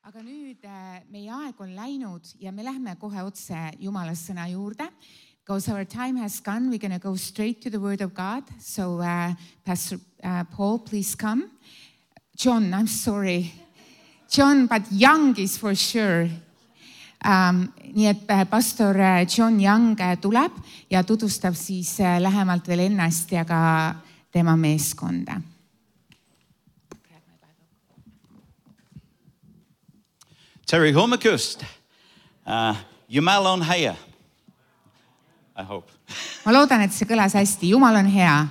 Aga nüüd meie aeg on läinud ja me lähme kohe otse Jumala sõna juurde. Because our time has gone, we're going to go straight to the Word of God. So Pastor Paul, please come. John, I'm sorry. John, but Young is for sure. Nii et pastor John Young tuleb ja tutvustab siis lähemalt veel ennast ja ka tema meeskonda. Terry Hormakust, Jumal on hea, I hope. Ma loodan, et see kõlas hästi. Jumal on hea.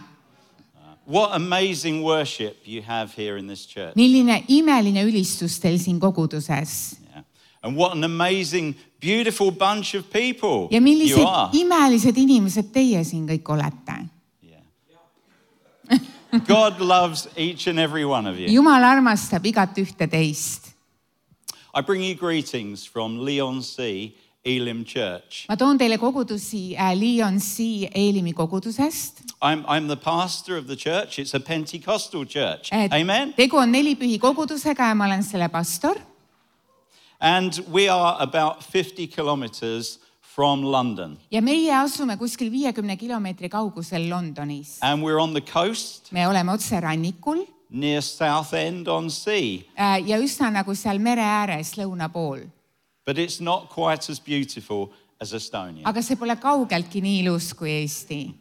What amazing worship you have here in this church. Milline imeline ülistus teil siin koguduses. Yeah. And what an amazing, beautiful bunch of people ja millised imelised inimesed teie siin kõik olete. Yeah. God loves each and every one of you. Jumal armastab igat ühte teist. I bring you greetings from Leon C. Elim Church. Ma toon teile kogudusi Leon C. Elimi kogudusest. I'm the pastor of the church. It's a Pentecostal church. Amen. Tegu on Nelipühi kogudusega ja ma olen selle pastor. And we are about 50 kilometers from London. Ja meie asume kuskil 50 kilomeetri kaugusel Londonis. And we're on the coast. Me oleme otse rannikul. Near Southend on Sea. Ja üsna nagu seal mere ääres lõuna pool. But it's not quite as beautiful as Estonia. Aga see pole kaugeltki nii ilus kui Eesti.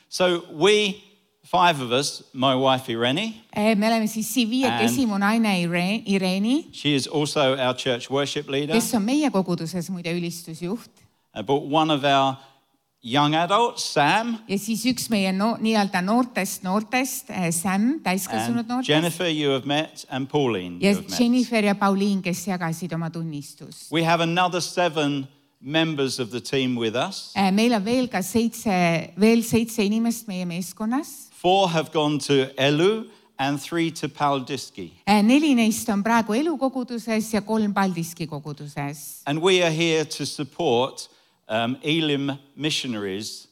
So we, 5 of us, my wife Irene. Me oleme siis siin viiekesi mu naine Ireni. She is also our church worship leader. Kes on meie koguduses muide ülistusjuht. But one of our young adults, Sam. Ja siis üks meie nii-öelda noortest, Sam, täiskasvanud noortest. Jennifer, you have met, and Pauline, ja you have met. Jennifer ja Pauline, kes jagasid oma tunnistust. We have another 7 members of the team with us. Meil on veel ka 7 inimest meie meeskonnas. 4 have gone to Elu and 3 to Paldiski. 4 neist on praegu Elu koguduses ja 3 Paldiski koguduses. And we are here to support Elim missionaries,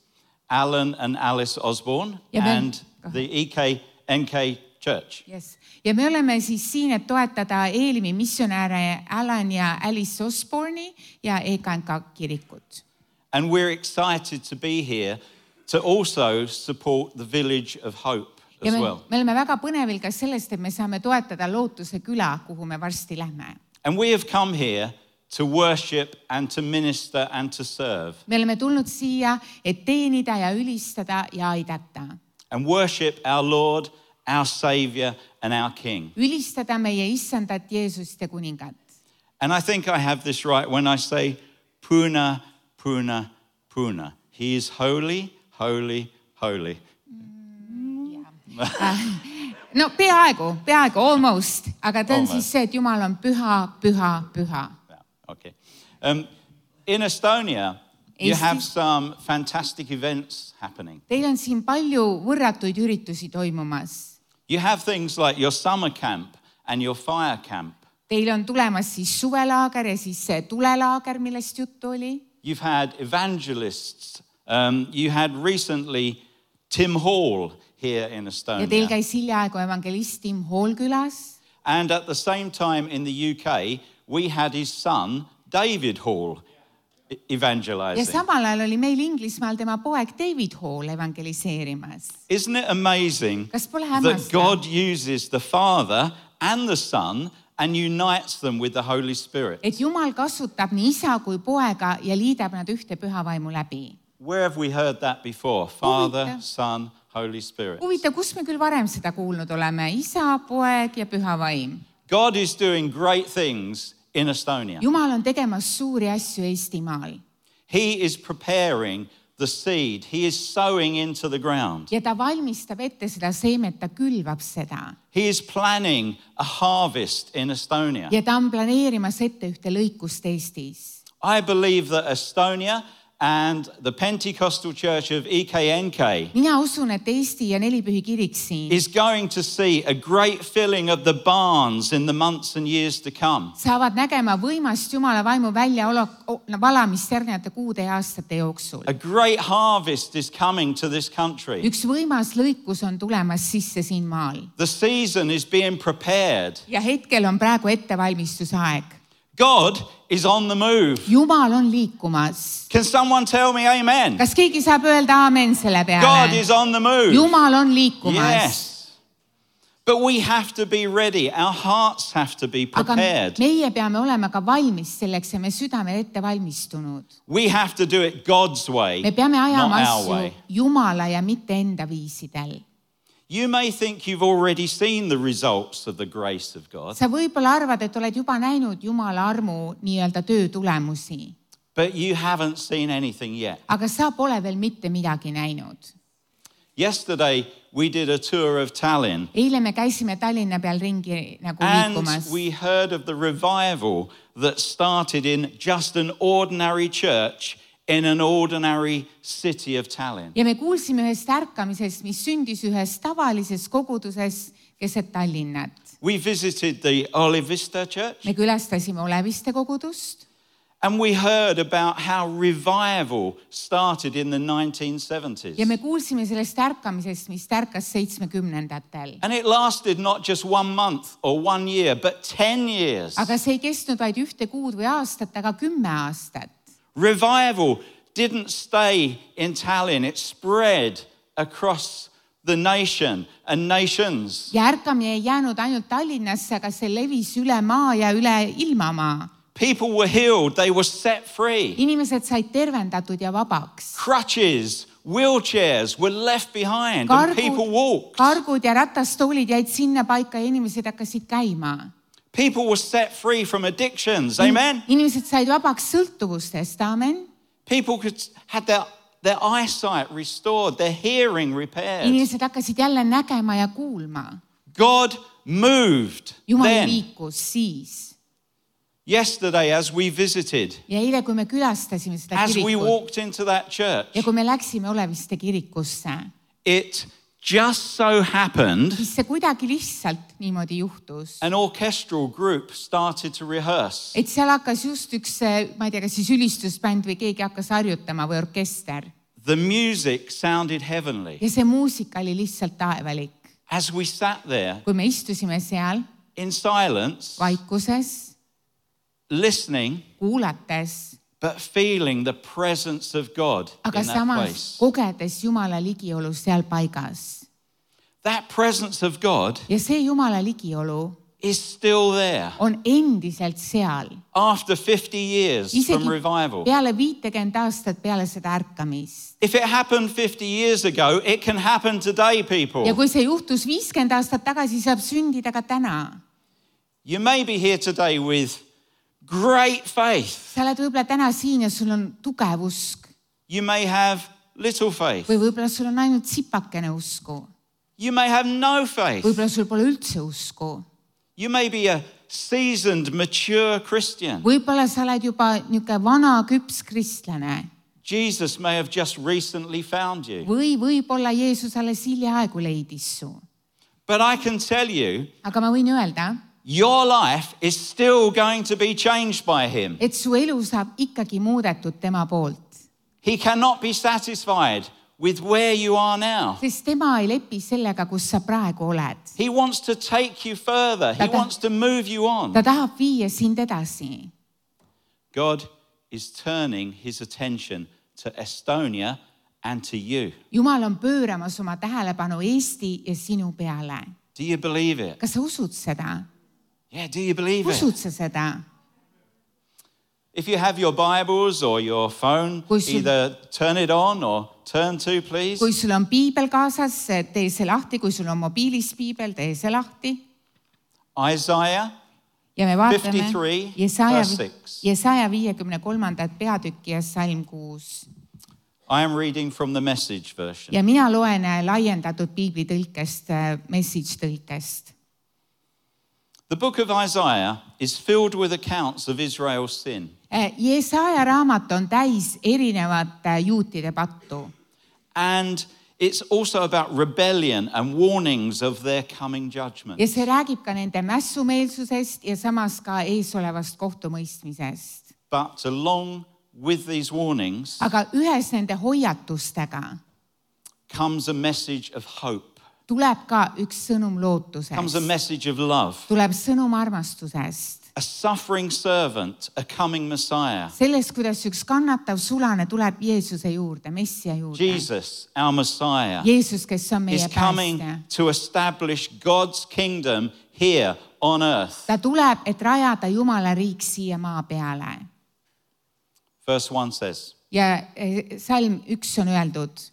Alan and Alice Osborne, and the EKNK Church. Yes. Ja me oleme siis siin, et toetada Elimi missionääre Alan ja Alice Osborne'i ja EKNK kirikut. And we're excited to be here to also support the Village of Hope as well. Me oleme väga põnevil ka sellest, et me saame toetada Lootuse küla, kuhu me varsti lähme. And we have come here to worship and to minister and to serve. Me oleme tulnud siia, et teenida ja ülistada ja aidata. And worship our Lord, our Savior and our King. Ülistada meie issandat Jeesust ja kuningat. And I think I have this right when I say Puna, Puna, Puna. He is holy, holy, holy. No peaaegu, almost. Aga ta on siis see, et Jumal on püha, püha, püha. Okay. In Estonia, you have some fantastic events happening. Teil on siin palju võrratuid üritusi toimumas. You have things like your summer camp and your fire camp. Teil on tulemas siis suvelaager ja siis see tulelaager, millest juttu oli. You've had evangelists. You had recently Tim Hall here in Estonia. Ja teil käis hiljaaegu evangelist Tim Hall külas. And at the same time in the UK, we had his son, David Hall, evangelizing. Ja samal ajal oli meil Inglismaal tema poeg David Hall evangeliseerimas. Isn't it amazing that God uses the Father and the Son and unites them with the Holy Spirit? Et Jumal kasutab nii isa kui poega ja liidab nad ühte püha vaimu läbi. Where have we heard that before? Father, Son, Holy Spirit. Huvitav, kus me küll varem seda kuulnud oleme? Isa, poeg ja püha vaim. God is doing great things in Estonia. Jumal on tegemas suuri asju Eestimaal. He is preparing the seed. He is sowing into the ground. Ja ta valmistab ette seda seemet, ta külvab seda. He is planning a harvest in Estonia. Ja ta on planeerimas ette ühte lõikust Eestis. I believe that Estonia and the Pentecostal Church of EKNK mina usun, et Eesti ja Nelipühi kirik siin is going to see a great filling of the barns in the months and years to come. saavad nägema võimast Jumala vaimu valamist järgnevate kuude ja aastate jooksul. A great harvest is coming to this country. Üks võimas lõikus on tulemas sisse siin maal. The season is being prepared. Ja hetkel on praegu ettevalmistusaeg. God is on the move. Jumal on liikumas. Can someone tell me amen? Kas keegi saab öelda aamen selle peale? God is on the move. Jumal on liikumas. Yes. But we have to be ready. Our hearts have to be prepared. Aga meie peame olema ka valmis selleks ja me südamel ette valmistunud. We have to do it God's way, me peame ajama not our asju way. Jumala ja mitte enda viisidel. You may think you've already seen the results of the grace of God. Sa võib-olla arvad, et oled juba näinud Jumala armu nii-öelda töö tulemusi. But you haven't seen anything yet. Aga sa pole veel mitte midagi näinud. Yesterday we did a tour of Tallinn. Eile me käisime Tallinna peal ringi nagu liikumas. And we heard of the revival that started in just an ordinary church in an ordinary city of Tallinn. Ja me kuulsime ühest ärkamisest, mis sündis ühes tavalises koguduses keset Tallinnat. We visited the Oleviste church. Me külastasime Oleviste kogudust. And we heard about how revival started in the 1970s. Ja me kuulsime sellest ärkamisest, mis ärkas 70-ndatel. And it lasted not just 1 month or 1 year, but 10 years. Aga see ei kestnud vaid 1 kuud või aastat, aga 10 aastat. Revival didn't stay in Tallinn. It spread across the nation and nations. Ja ärkamine ei jäänud ainult Tallinnasse, aga see levis üle maa ja üle ilmamaa. People were healed. They were set free. Inimesed said tervendatud ja vabaks. Crutches, wheelchairs were left behind and people walked. Kargud ja ratastoolid jäid sinna paika ja inimesed hakkasid käima. People were set free from addictions. Amen. Inimesed said vabaks sõltuvustest. Amen. People had their eyesight restored, their hearing repaired. Inimesed hakkasid jälle nägema ja kuulma. God moved Jumal then. liikus siis. Yesterday as we visited, ja eile, kui me külastasime seda as we kirikut walked into that church, ja kui me läksime Oleviste kirikusse, it just so happened siis see kuidagi lihtsalt niimoodi juhtus. an orchestral group started to rehearse. Et seal hakkas just üks, ma ei tea, kas siis ülistusbänd või keegi hakkas harjutama või orkester. The music sounded heavenly. Ja see muusika oli lihtsalt taevalik. As we sat there Kui me istusime seal in silence, vaikuses, listening, kuulates, but feeling the presence of God aga in that samas place. kogedes Jumala ligiolu seal paigas. That presence of God Ja see Jumala ligiolu is still there on endiselt seal. after 50 years from Isegi revival. peale 50 aastat peale seda ärkamist. If it happened 50 years ago, it can happen today, people. Ja kui see juhtus 50 aastat tagasi, saab sündida ka täna. You may be here today with great faith. Sa oled võib-olla täna siin ja sul on tugev usk. You may have little faith. Või võib-olla sul on ainult sipakene usku. You may have no faith. Võib-olla sul pole üldse usku. You may be a seasoned, mature Christian. Võib-olla sa oled juba niisugune vana küps kristlane. Jesus may have just recently found you. Või võib-olla Jeesus alles hiljaaegu leidis su. But I can tell you, Aga ma võin öelda, your life is still going to be changed by him. et su elu saab ikkagi muudetud tema poolt. He cannot be satisfied with where you are now. Sest tema ei lepi sellega, kus sa praegu oled. He wants to take you further. He wants to move you on. Ta tahab viia sind edasi. God is turning his attention to Estonia and to you. Jumal on pööramas oma tähelepanu Eesti ja sinu peale. Do you believe it? Kas sa usud seda? Yeah, do you believe it? Usud sa seda? If you have your Bibles or your phone, either turn it on or turn to, please. Kui sul on piibel kaasas, tee see lahti. Kui sul on mobiilis piibel, tee see lahti. Isaiah ja me vaatame 53, verse 6. Jesaja 53. peatükki ja salm 6. I am reading from the Message version. Ja mina loen laiendatud piibli tõlkest, message tõlkest. The book of Isaiah is filled with accounts of Israel's sin. Jesaja raamat on täis erinevate juutide pattu. And it's also about rebellion and warnings of their coming judgment. Ja see räägib ka nende mässumeelsusest ja samas ka eesolevast kohtumõistmisest. But along with these warnings Aga ühes nende hoiatustega comes a message of hope. tuleb ka üks sõnum lootusest. Comes a message of love. Tuleb sõnum armastusest. A suffering servant, a coming Messiah. Sellest, kuidas üks kannatav sulane tuleb Jeesuse juurde, Messia juurde. Jesus, our Messiah, Jeesus, kes on meie is coming päästja. to establish God's kingdom here on earth. Ta tuleb, et rajada Jumala riik siia maa peale. Verse 1 says, Ja salm 1 on öeldud.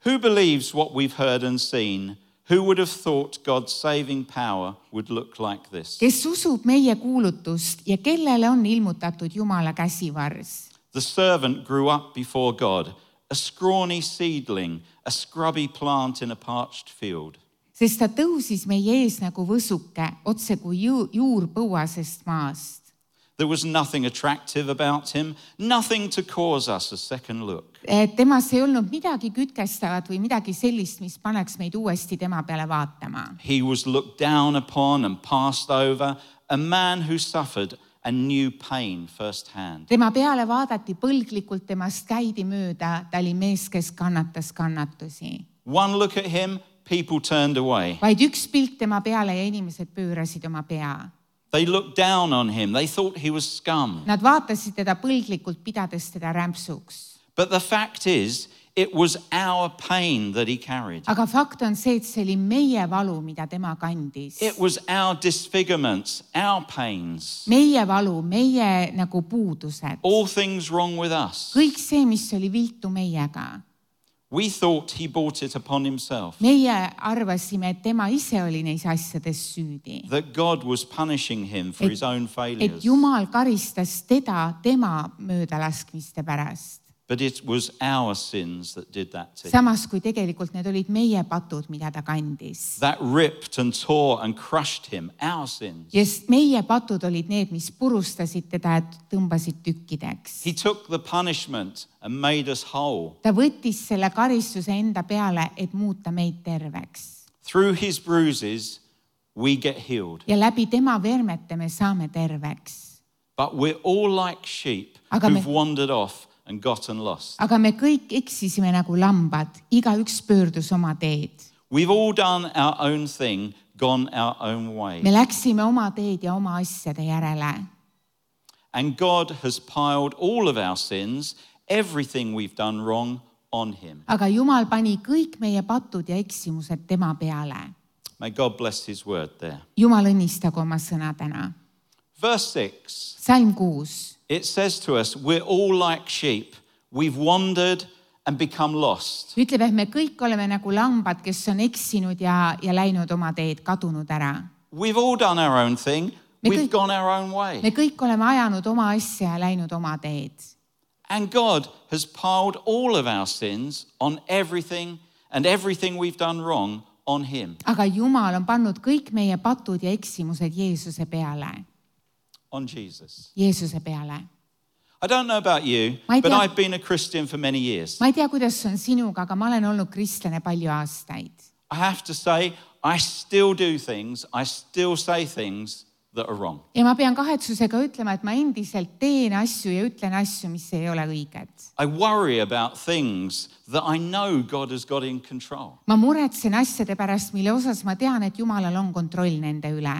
Who believes what we've heard and seen? Who would have thought God's saving power would look like this? Kes usub meie kuulutust ja kellele on ilmutatud Jumala käsivars? The servant grew up before God, a scrawny seedling, a scrubby plant in a parched field. Sest ta tõusis meie ees nagu võsuke, otse kui juur põuasest maast. There was nothing attractive about him, nothing to cause us a second look. Temas ei olnud midagi kütkestavat või midagi sellist, mis paneks meid uuesti tema peale vaatama. He was looked down upon and passed over, a man who suffered and knew pain firsthand. Tema peale vaadati põlglikult, temast käidi mööda, ta oli mees, kes kannatas kannatusi. One look at him, people turned away. Vaid üks pilk tema peale ja inimesed pöörasid oma pea. They looked down on him. They thought he was scum. Nad vaatasid teda põlglikult, pidades teda rämpsuks. But the fact is, it was our pain that he carried. Aga fakt on see, et see oli meie valu, mida tema kandis. It was our disfigurements, our pains. Meie valu, meie nagu puudused. All things wrong with us. Kõik see, mis oli viltu meiega. We thought he brought it upon himself. Meie arvasime, et tema ise oli neis asjades süüdi. That God was punishing him for his own Et failures. Jumal karistas teda tema möödalaskmiste pärast. But it was our sins that did that to him. Samas, kui tegelikult need olid meie patud, mida ta kandis. That ripped and tore and crushed him, our sins. Ja meie patud olid need, mis purustasid teda, et tõmbasid tükkideks. He took the punishment and made us whole. Ta võttis selle karistuse enda peale, et muuta meid terveks. Through his bruises, we get healed. Ja läbi tema vermete me saame terveks. But we're all like sheep Aga who've wandered off and gotten lost. Aga me kõik eksisime nagu lambad, igaüks pöördus oma teed. We've all done our own thing, gone our own way. Me läksime oma teed ja oma asjade järele. And God has piled all of our sins, everything we've done wrong, on him. Aga Jumal pani kõik meie patud ja eksimused tema peale. May God bless his word there. Jumal õnnistagu oma sõna täna. Verse 6, Salm 6. it says to us, we're all like sheep. We've wandered and become lost. Ütleb, et me kõik oleme nagu lambad, kes on eksinud ja läinud oma teed, kadunud ära. We've all done our own thing. We've gone our own way. Me kõik oleme ajanud oma asja ja läinud oma teed. And God has piled all of our sins on everything and everything we've done wrong on him. Aga Jumal on pannud kõik meie patud ja eksimused Jeesuse peale. On Jesus. Jeesuse peale. I don't know about you, but I've been a Christian for many years. Ma ei tea, kuidas on sinuga, aga ma olen olnud kristlane palju aastaid. I have to say, I still do things, I still say things that are wrong. Ja ma pean kahetsusega ütlema, et ma endiselt teen asju ja ütlen asju, mis ei ole õiged. I worry about things that I know God has got in control. Ma muretsen asjade pärast, mille osas ma tean, et Jumalal on kontroll nende üle.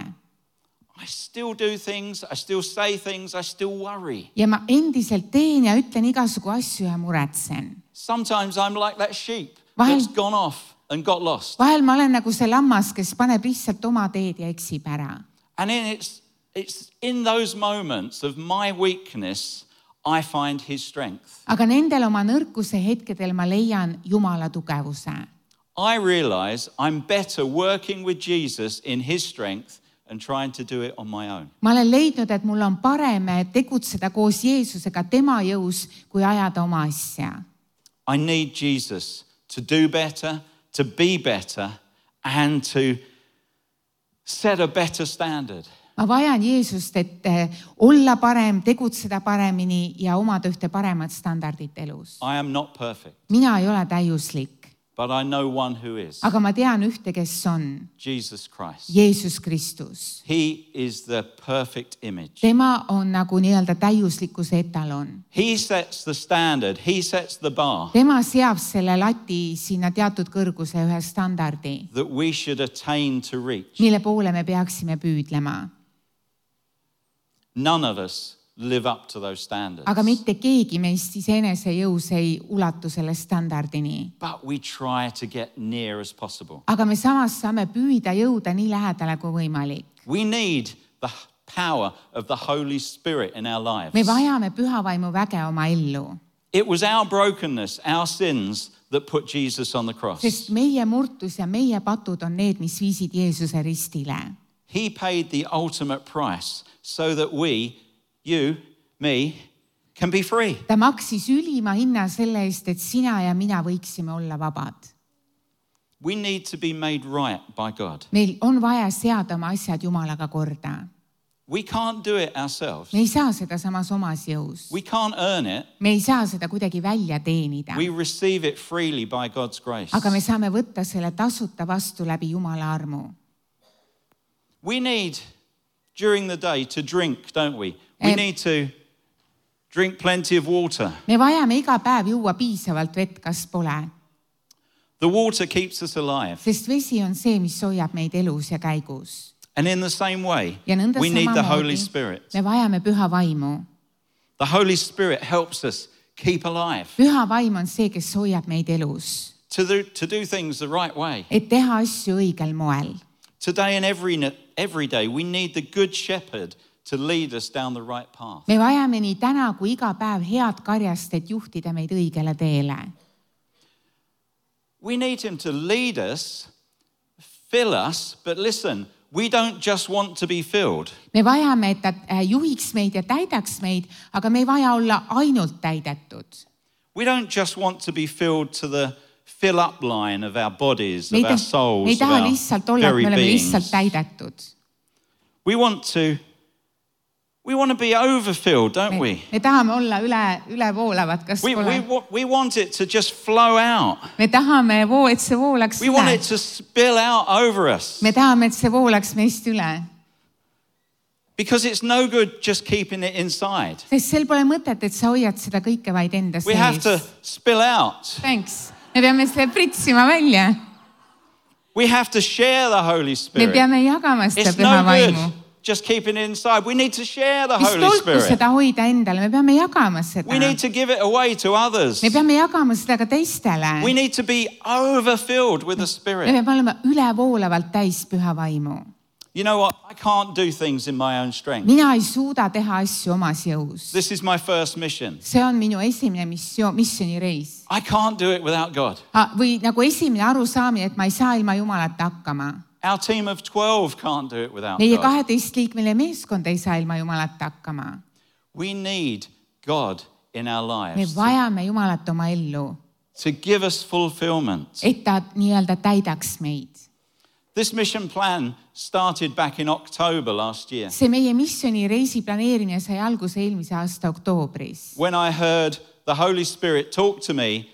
I still do things, I still say things, I still worry. Ja ma endiselt teen ja ütlen igasugu asju ja muretsen. Sometimes I'm like that sheep that's gone off and got lost. Vahel ma olen nagu see lammas, kes paneb lihtsalt oma teed ja eksib ära. And it's in those moments of my weakness I find his strength. Aga nendel oma nõrkuse hetkedel ma leian Jumala tugevuse. I realize I'm better working with Jesus in his strength and trying to do it on my own. Ma olen leidnud, et mul on parem tegutseda koos Jeesusega tema jõus, kui ajada oma asja. I need Jesus to do better, to be better, and to set a better standard. ma vajan Jeesust, et olla parem, tegutseda paremini ja omada ühte paremat standardit elus. I am not perfect, mina ei ole täiuslik, but I know one who is. aga ma tean ühte, kes on. Jesus Christ. Jeesus Kristus. He is the perfect image. tema on nagu nii-öelda täiuslikkuse etalon. He sets the standard. He sets the bar. tema seab selle lati sinna teatud kõrguse ühe standardi, that we should attain to reach. mille poole me peaksime püüdlema. None of us live up to those standards. aga mitte keegi meist iseenese jõus ei ulatu selle standardini. But we try to get near as possible. aga me samas saame püüda jõuda nii lähedale kui võimalik. We need the power of the Holy Spirit in our lives. me vajame pühavaimu väge oma ellu. It was our brokenness, our sins that put Jesus on the cross. sest meie murtus ja meie patud on need, mis viisid Jeesuse ristile. He paid the ultimate price so that we, you, me, can be free. ta maksis ülima hinna selle eest, et sina ja mina võiksime olla vabad. We need to be made right by God. meil on vaja seada oma asjad Jumalaga korda. We can't do it ourselves. me ei saa seda samas omas jõus. We can't earn it. me ei saa seda kuidagi välja teenida. We receive it freely by God's grace. aga me saame võtta selle tasuta vastu läbi Jumala armu. We need, during the day, to drink, don't we? We need to drink plenty of water. me vajame iga päev juua piisavalt vett, kas pole? The water keeps us alive. sest vesi on see, mis hoiab meid elus ja käigus. And in the same way, ja nõnda we need the Holy samamoodi Spirit. me vajame püha vaimu. The Holy Spirit helps us keep alive, püha vaim on see, kes hoiab meid elus. to do things the right way. et teha asju õigel moel. Today and every day, we need the Good Shepherd to lead us down the right path. me vajame nii täna kui iga päev head karjast, et juhtida meid õigele teele. We need him to lead us, fill us, but listen, we don't just want to be filled. me vajame, et ta juhiks meid ja täidaks meid, aga me ei vaja olla ainult täidetud. We don't just want to be filled to the fill up line of our bodies, me of our souls, ei of taha our lihtsalt olla, et very me oleme beings. lihtsalt täidetud. We want to be overfilled, don't we? me tahame olla ülevoolavad, kas pole? We want it to just flow out. me tahame, et see voolaks We want üle. it to spill out over us. me tahame, et see voolaks meist üle. Because it's no good just keeping it inside. sest sel pole mõtet, et sa hoiad seda kõike vaid enda We have to sees. spill out. Thanks. me peame selle pritsima välja. We have to share the Holy me Spirit. peame jagama seda It's püha no vaimu. good just keeping it inside. We need to share the mis Holy tolku Spirit. seda hoida endale, me peame jagama seda. We need to give it away to others. me peame jagama seda ka teistele. We need to be overfilled with the me Spirit. peame olema ülevoolavalt täis püha vaimu. You know what? I can't do things in my own strength. mina ei suuda teha asju omas jõus. This is my first mission. see on minu esimene missioonireis. I can't do it without God. või nagu esimene arusaamine, et ma ei saa ilma Jumalata hakkama. Our team of 12 can't do it without meie God. 12-liikmeline meeskond ei saa ilma Jumalata hakkama. We need God in our me lives vajame Jumalat oma ellu, to give us fulfillment. et ta nii-öelda täidaks meid. This mission plan started back in October last year see meie missioonireisi planeerimine sai alguse eelmise aasta oktoobris, when I heard the Holy Spirit talk to me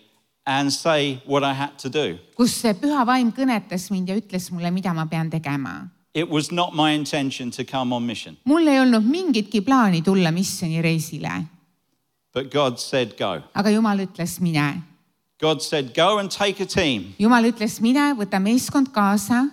and say what I had to do. kus see püha vaim kõnetas mind ja ütles mulle, mida ma pean tegema. It was not my intention to come on mission, mul ei olnud mingitki plaani tulla missioonireisile, but God said go. aga Jumal ütles mine. God said go and take a team. Jumal ütles mine, võta meeskond kaasa.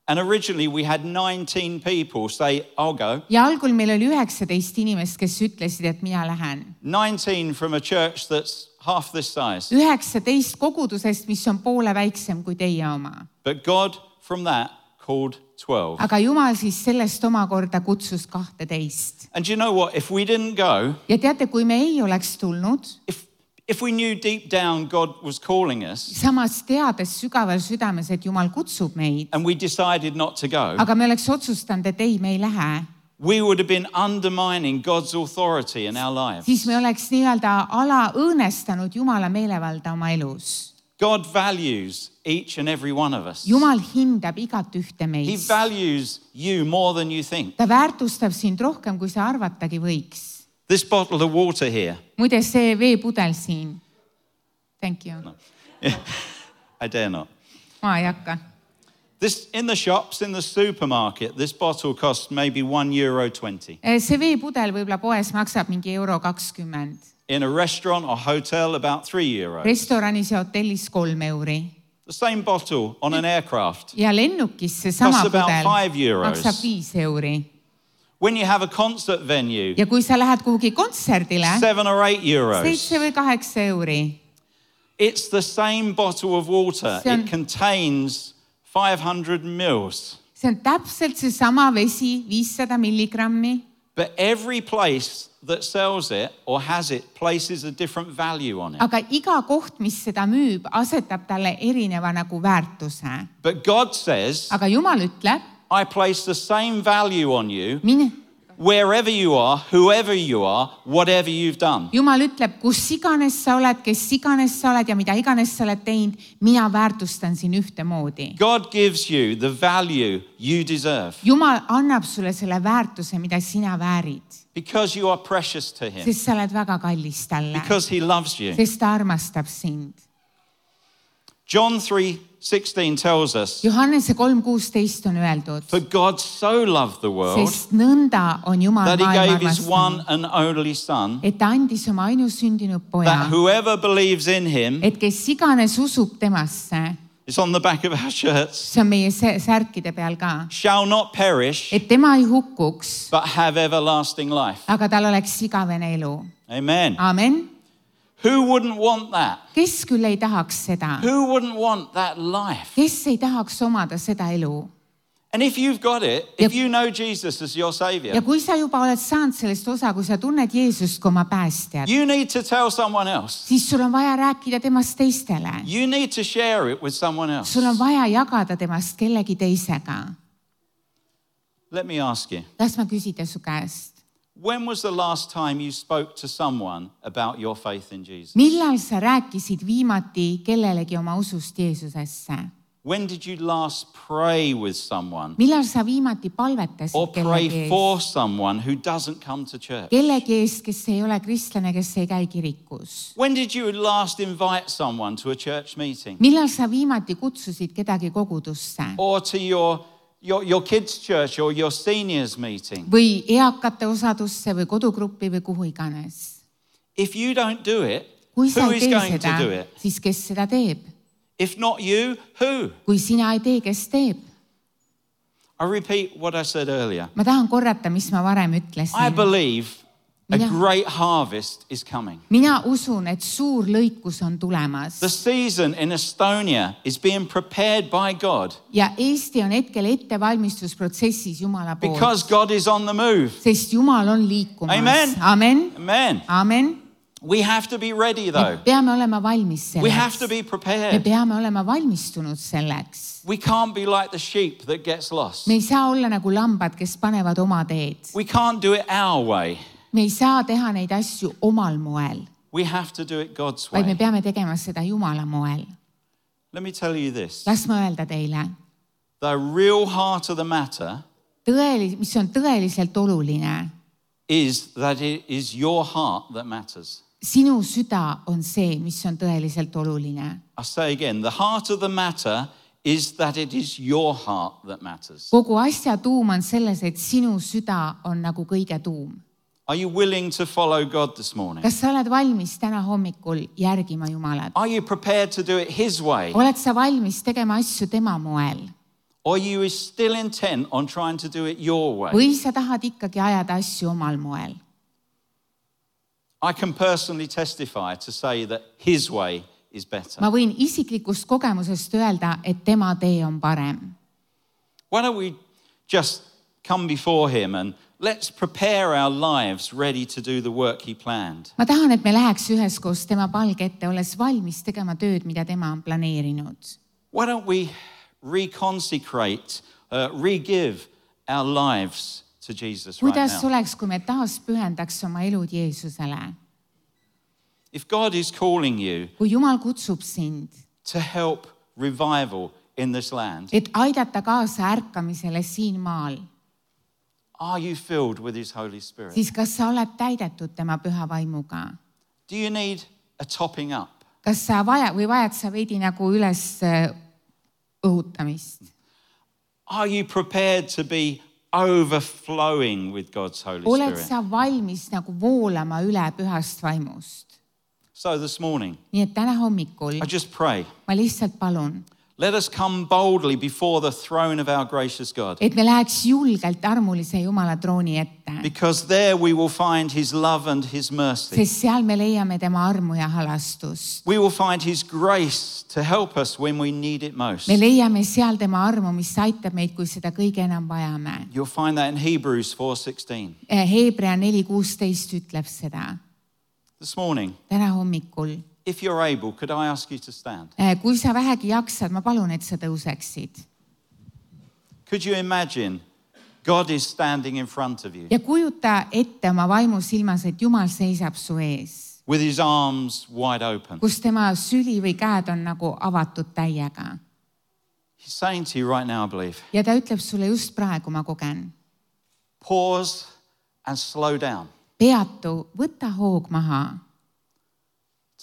And originally we had 19 people say, I'll go. ja algul meil oli 19 inimest, kes ütlesid, et mina lähen. 19 from a church that's half this size. 19 kogudusest, mis on poole väiksem kui teie oma. But God from that called 12. aga Jumal siis sellest omakorda kutsus 12. And do you know what? If we didn't go, ja teate, kui me ei oleks tulnud, if we knew deep down God was calling us samas teades sügaval südames, et Jumal kutsub meid, and we decided not to go, aga me oleks otsustanud, et ei, me ei lähe, we would have been undermining God's authority in our lives. siis me oleks nii-öelda õõnestanud Jumala meelevalda oma elus. God values each and every one of us. Jumal hindab igat ühte He meist. values you more than you think. Ta väärtustab sind rohkem, kui sa arvatagi võiks. This bottle of water here. Muide, see veepudel siin. Thank you. No. I dare not. Ma ei hakka. This in the shops, in the supermarket, this bottle costs maybe €1.20. See veepudel võib-olla poes maksab mingi €20. In a restaurant or hotel, about €3. Restoranis ja hotellis €3. The same bottle on an aircraft Ja lennukis see sama costs about pudel €5. maksab €5. When you have a concert venue, Ja kui sa lähed kuhugi kontserdile, €7 or €8. 7 või 8 euri. It's the same bottle of water. See on- It contains 500 mils. See on täpselt seesama vesi, 500 milligrammi. But every place that sells it or has it places a different value on it. Aga iga koht, mis seda müüb, asetab talle erineva nagu väärtuse. But God says, Aga Jumal ütleb, I place the same value on you mine. wherever you are, whoever you are, whatever you've done. Jumal ütleb, kus iganes sa oled, kes iganes sa oled ja mida iganes sa oled teinud, mina väärtustan siin ühtemoodi. God gives you the value you deserve Jumal annab sulle selle väärtuse, mida sina väärid. because you are precious to Him, Sest sa oled väga kallis talle. because He loves you. Sest ta armastab sind. John 3:16 tells us, Johannese 3:16 on öeldud, for God so loved the world sest nõnda on Jumal that He maailma gave His one armastanud, and only Son, et ta andis oma ainusündinud poja, that whoever believes in Him, et kes iganes usub temasse, it's on the back of our shirts, see on meie särkide peal ka, shall not perish, et tema ei hukkuks, but have everlasting life. aga tal oleks igavene elu. Amen. Amen. Who wouldn't want that? Kes küll ei tahaks seda? Who wouldn't want that life? Kes ei tahaks omada seda elu? And if you've got it, if you know Jesus as your Savior, Ja kui sa juba oled saanud sellest osa, kui sa tunned Jeesust kui oma päästjat, you need to tell someone else. siis sul on vaja rääkida temast teistele. You need to share it with someone else. Sul on vaja jagada temast kellegi teisega. Let me ask you, Las ma küsida su käest. when was the last time you spoke to someone about your faith in Jesus? Millal sa rääkisid viimati kellelegi oma usust Jeesusesse? When did you last pray with someone Millal sa viimati or palvetasid pray kellegi for eest? someone who doesn't come to church? Kellegi eest, kes ei ole kristlane, kes ei käi kirikus? When did you last invite someone to a church meeting Millal sa viimati kutsusid kedagi kogudusse? or to your kids' church or your seniors meeting? Või eakate osadusse või kodugruppi või kuhu iganes? If you don't do it, Kui sa who ei is tee going seda, to do it? siis kes seda teeb? If not you, who? Kui sina ei tee, kes teeb? I repeat what I said earlier. Ma tahan korrata, mis ma varem I ütlesin. believe a Mina- great harvest is coming. Mina usun, et suur lõikus on tulemas. The season in Estonia is being prepared by God Ja Eesti on hetkel ettevalmistusprotsessis Jumala poolt. because God is on the move. Sest Jumal on liikumas. Amen. Amen. Amen. Amen. We have to be ready Me though. peame olema valmis We have to selleks. be Me prepared. peame olema valmistunud selleks. We can't be like the sheep that gets lost. Me ei saa olla nagu lambad, kes panevad oma teed. We can't do it our way. Me ei saa teha neid asju omal moel, We have to do it God's vaid me way. peame tegema seda Jumala moel. Let me tell you this. Las ma öelda teile, The real heart of the matter mis on tõeliselt oluline. is that it is your heart that matters. Sinu süda on see, mis on tõeliselt oluline. I say again, the heart of the matter is that it is your heart that matters. Kogu asja tuum on selles, et sinu süda on nagu kõige tuum. Are you willing to follow God this morning? Kas sa oled valmis täna hommikul järgima Jumalat? Are you prepared to do it His way? Oled sa valmis tegema asju tema moel? Or are you still intent on trying to do it your way? Või sa tahad ikkagi ajada asju omal moel? I can personally testify to say that His way is better. Ma võin isiklikust kogemusest öelda, et tema tee on parem. Why don't we just come before Him and let's prepare our lives ready to do the work He planned. Ma tahan, et me läheks üheskoos tema palge ette, olles valmis tegema tööd, mida tema on planeerinud. Why don't we reconsecrate, re-give our lives to Jesus right Kuidas now? oleks, kui me taas pühendaks oma elud Jeesusele? If God is calling you Kui Jumal kutsub sind to help revival in this land? et aidata kaasa ärkamisele siin maal, Are you filled with His Holy Spirit? siis kas sa oled täidetud tema püha vaimuga? Do you need a topping up? Kas sa vajad sa veidi nagu üles õhutamist? Are you prepared to be overflowing with God's Holy Oled Spirit? sa valmis nagu voolama üle pühast vaimust? So this morning, Nii et täna hommikul I just pray, ma lihtsalt palun, let us come boldly before the throne of our gracious God. et me läheks julgelt armulise Jumala trooni ette, Because there we will find His love and His mercy. sest seal me leiame tema armu ja halastust. We will find His grace to help us when we need it most. Me leiame seal tema armu, mis aitab meid, kui seda kõige enam vajame. You'll find that in Hebrews 4:16. Hebra 4:16 ütleb seda. This morning, Täna hommikul, if you're able, could I ask you to stand? kui sa vähegi jaksad, ma palun, et sa tõuseksid. Could you imagine God is standing in front of you Ja kujuta ette oma vaimu silmas, et Jumal seisab su ees, with His arms wide open? kus tema süli või käed on nagu avatud täiega. He's saying to you right now, I believe, Ja ta ütleb sulle just praegu, ma kogen. pause and slow down. Peatu, võta hoog maha,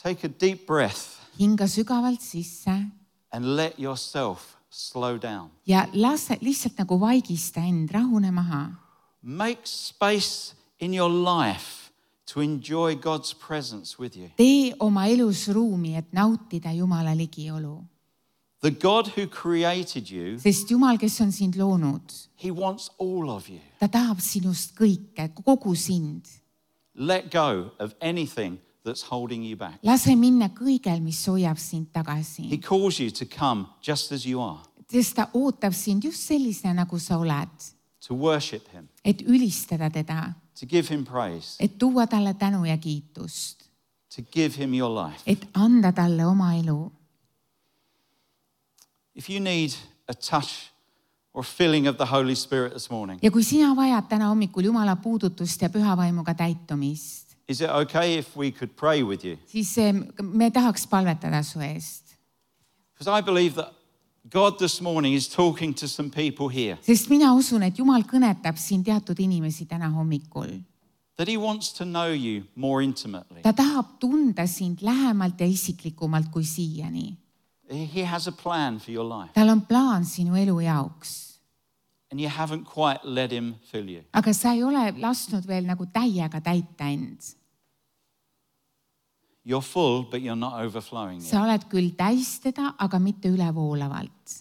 Take a deep breath hinga sügavalt sisse and let yourself slow down. ja lase lihtsalt nagu vaigista end, rahune maha. Make space in your life to enjoy God's presence with you. Tee oma elus ruumi, et nautida Jumala ligiolu. The God who created you, Sest Jumal, kes on sind loonud, He wants all of you. ta tahab sinust kõike, kogu sind. Let go of anything that's holding you back. Lase minna kõigel, mis hoiab sind He tagasi. calls you to come just as you are, Sest ta ootab sind just sellisena, nagu sa oled, to worship Him, et ülistada teda, to give Him praise, et tuua talle tänu ja kiitust, to give Him your life. et anda talle oma elu. If you need a touch or filling of the Holy Spirit this morning, Ja kui sina vajad täna hommikul Jumala puudutust ja püha vaimuga täitumist, is it okay if we could pray with you? siis me tahaks palvetada su eest. Because I believe that God this morning is talking to some people here, Sest mina usun, et Jumal kõnetab siin teatud inimesi täna hommikul. that He wants to know you more intimately. Ta tahab tunda sind lähemalt ja isiklikumalt kui siiani. He has a plan for your life, Tal on plaan sinu elu jaoks, and you haven't quite let Him fill you. aga sa ei ole lasknud veel nagu täiega täita end. You're full, but you're not overflowing yet. Sa oled küll täis teda, aga mitte ülevoolavalt.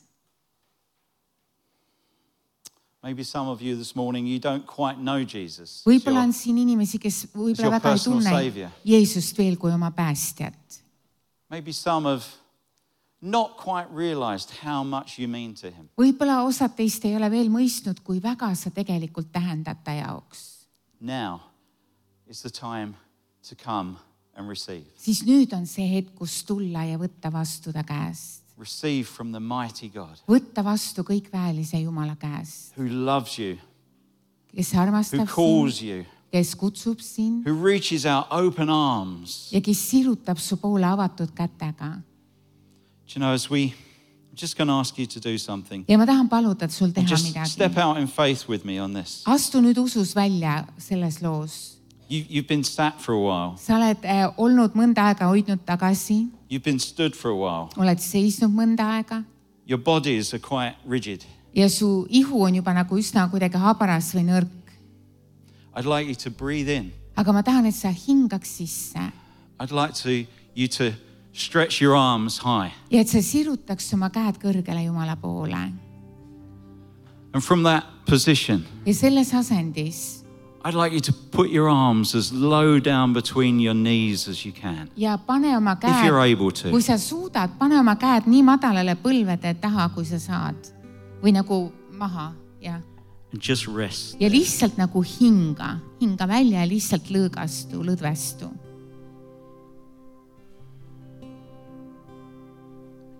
Maybe some of you this morning, you don't quite know Jesus. Võib-olla on siin inimesi, kes võib-olla your väga ei personal tunne savior. Jeesust veel kui oma päästjat. Maybe some have not quite realized how much you mean to Him. Võib-olla osad teist ei ole veel mõistnud, kui väga sa tegelikult tähendad ta jaoks. Now is the time to come and receive. Siis nüüd on see hetk, kus tulla ja võtta vastu ta käest. Receive from the mighty God Võtta vastu kõikväelise Jumala käest, who loves you, kes who armastab calls sind, you, kes kutsub sind who reaches out open arms. ja kes sirutab su poole avatud kätega. Do you know, as I'm just going to ask you to do something. Ja ma tahan paluda, et sul And teha just step midagi. out in faith with me on this. Astu nüüd usus välja selles loos. You've been sat for a while. Sa oled olnud mõnda aega hoidnud tagasi, You've been stood for a while. oled seisnud mõnda aega Your bodies are quite rigid. ja su ihu on juba nagu üsna kuidagi habras või nõrk. I'd like you to breathe in. Aga ma tahan, et sa hingaks sisse I'd like you to stretch your arms high. ja et sa sirutaks oma käed kõrgele Jumala poole. And from that position, Ja selles asendis I'd like you to put your arms as low down between your knees as you can. ja pane oma If you're käed, able to. kui sa suudad, pane oma käed nii madalale põlvede taha, kui sa saad. Või nagu maha, jah. And just rest. Ja lihtsalt nagu hinga välja ja lihtsalt lõõgastu, lõdvestu.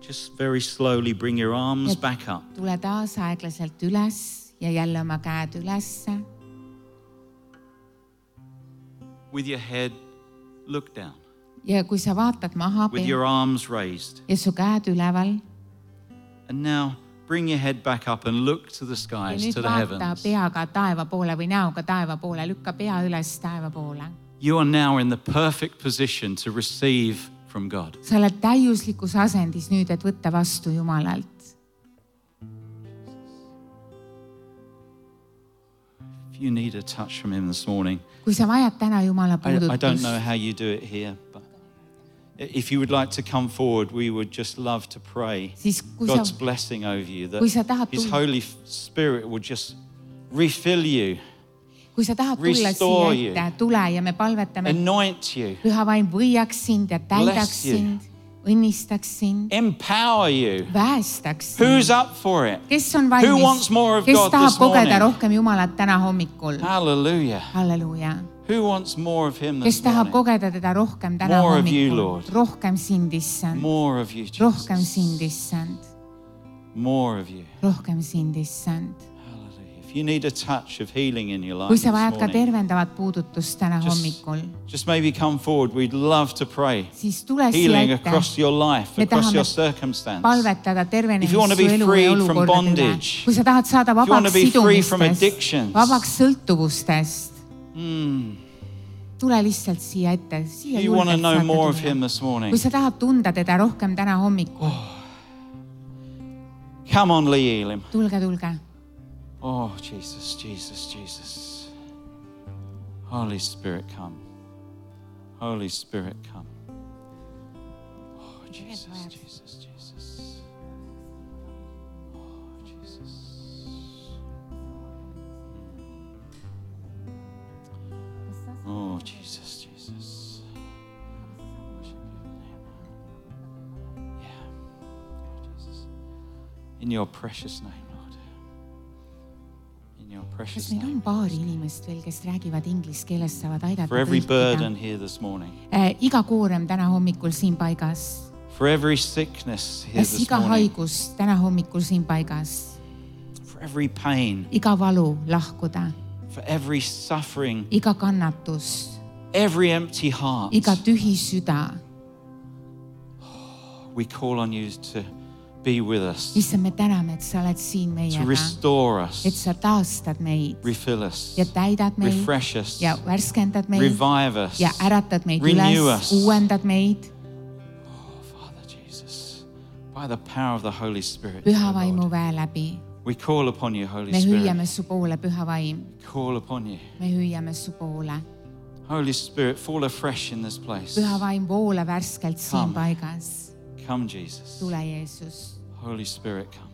Just very slowly bring your arms back up. Tule taas aeglaselt üles ja jälle oma käed ülesse. With your head, look down. ja kui sa vaatad maha with your arms raised. ja su käed üleval. And now bring your head back up and look to the skies, to the vaata heavens. peaga taeva poole või näoga taeva poole, lükka pea üles taeva poole. You are now in the perfect position to receive from God. Sa oled täiuslikus asendis nüüd, et võtta vastu Jumalalt. If you need a touch from him this morning, kui sa vajad täna Jumala I don't puudutust, know how you do it here, but if you would like to come forward, we would just love to pray siis kui God's sa, blessing over you, kui sa that tahad his tulla, Holy Spirit will just refill you, kui sa tahad tulla restore siia ette, tule ja me palvetame, anoint you, Püha Vaim võiaks sind ja täidaks Bless you. sind, õnnistaks sind, empower you. väestaks Who's sind. up for it? Kes on Who wants valmis, more of kes God tahab this morning? kogeda rohkem Jumalat täna hommikul? Hallelujah. Halleluuja. Who wants more of him Kes this tahab morning? kogeda teda rohkem täna More of you, hommikul? Lord. Rohkem sind, issand. More of you, Rohkem Jesus. sind, issand. More of you. Rohkem sind, issand. Hallelujah. If you need a touch of healing in your life Kui this sa vajad ka morning, tervendavat puudutust täna hommikul, just maybe come forward. We'd love to pray. siis tule siia Healing ette, across your life, Me across tahame your circumstance. palvetada If you want to tervenemist su be elu freed ja from olukordade üle. bondage, Kui sa tahad saada you want to vabaks be free from sidumistest, addictions, vabaks sõltuvustest, tule lihtsalt siia ette. Siia you want to julgelt know saate more of tulla. him this morning, Kui sa tahad tunda teda rohkem täna hommikul, come on, Lee Elim. tulge, tulge. Oh, Jesus, Jesus, Jesus. Holy Spirit, come. Holy Spirit, come. Oh, Jesus, Jesus, Jesus. Oh, Jesus. Oh, Jesus, Jesus. Worship your name. Yeah. Oh, Jesus. In your precious name, Lord. In your Kas precious meil on name. paari inimest veel, kes räägivad inglise keeles, saavad aidata For every burden tõlkida? here this morning. Iga koorem täna hommikul siin paigas. For every sickness here Kas this iga morning. haigus täna hommikul siin paigas? For every pain. Iga valu lahkuda, For every suffering. iga kannatus, Every empty heart. iga tühi süda. We call on you to be with us. Issand, me täname, et sa oled siin To meiega, restore et us. sa taastad meid Refill us. ja täidad meid Refresh us. ja värskendad meid Revive us. ja äratad meid Renew üles, us. uuendad meid. Oh, Father Jesus. By the power of the Holy Spirit. Püha dear Vaimu Lord. väe läbi. We call upon you, Holy Me Spirit. hüüame su poole, Püha Vaim. Call upon you. Me hüüame su poole. Holy Spirit, fall afresh in this place. Püha Vaim, voola värskelt siin Come. paigas. Come, Jesus. Tule, Jeesus. Holy Spirit, come.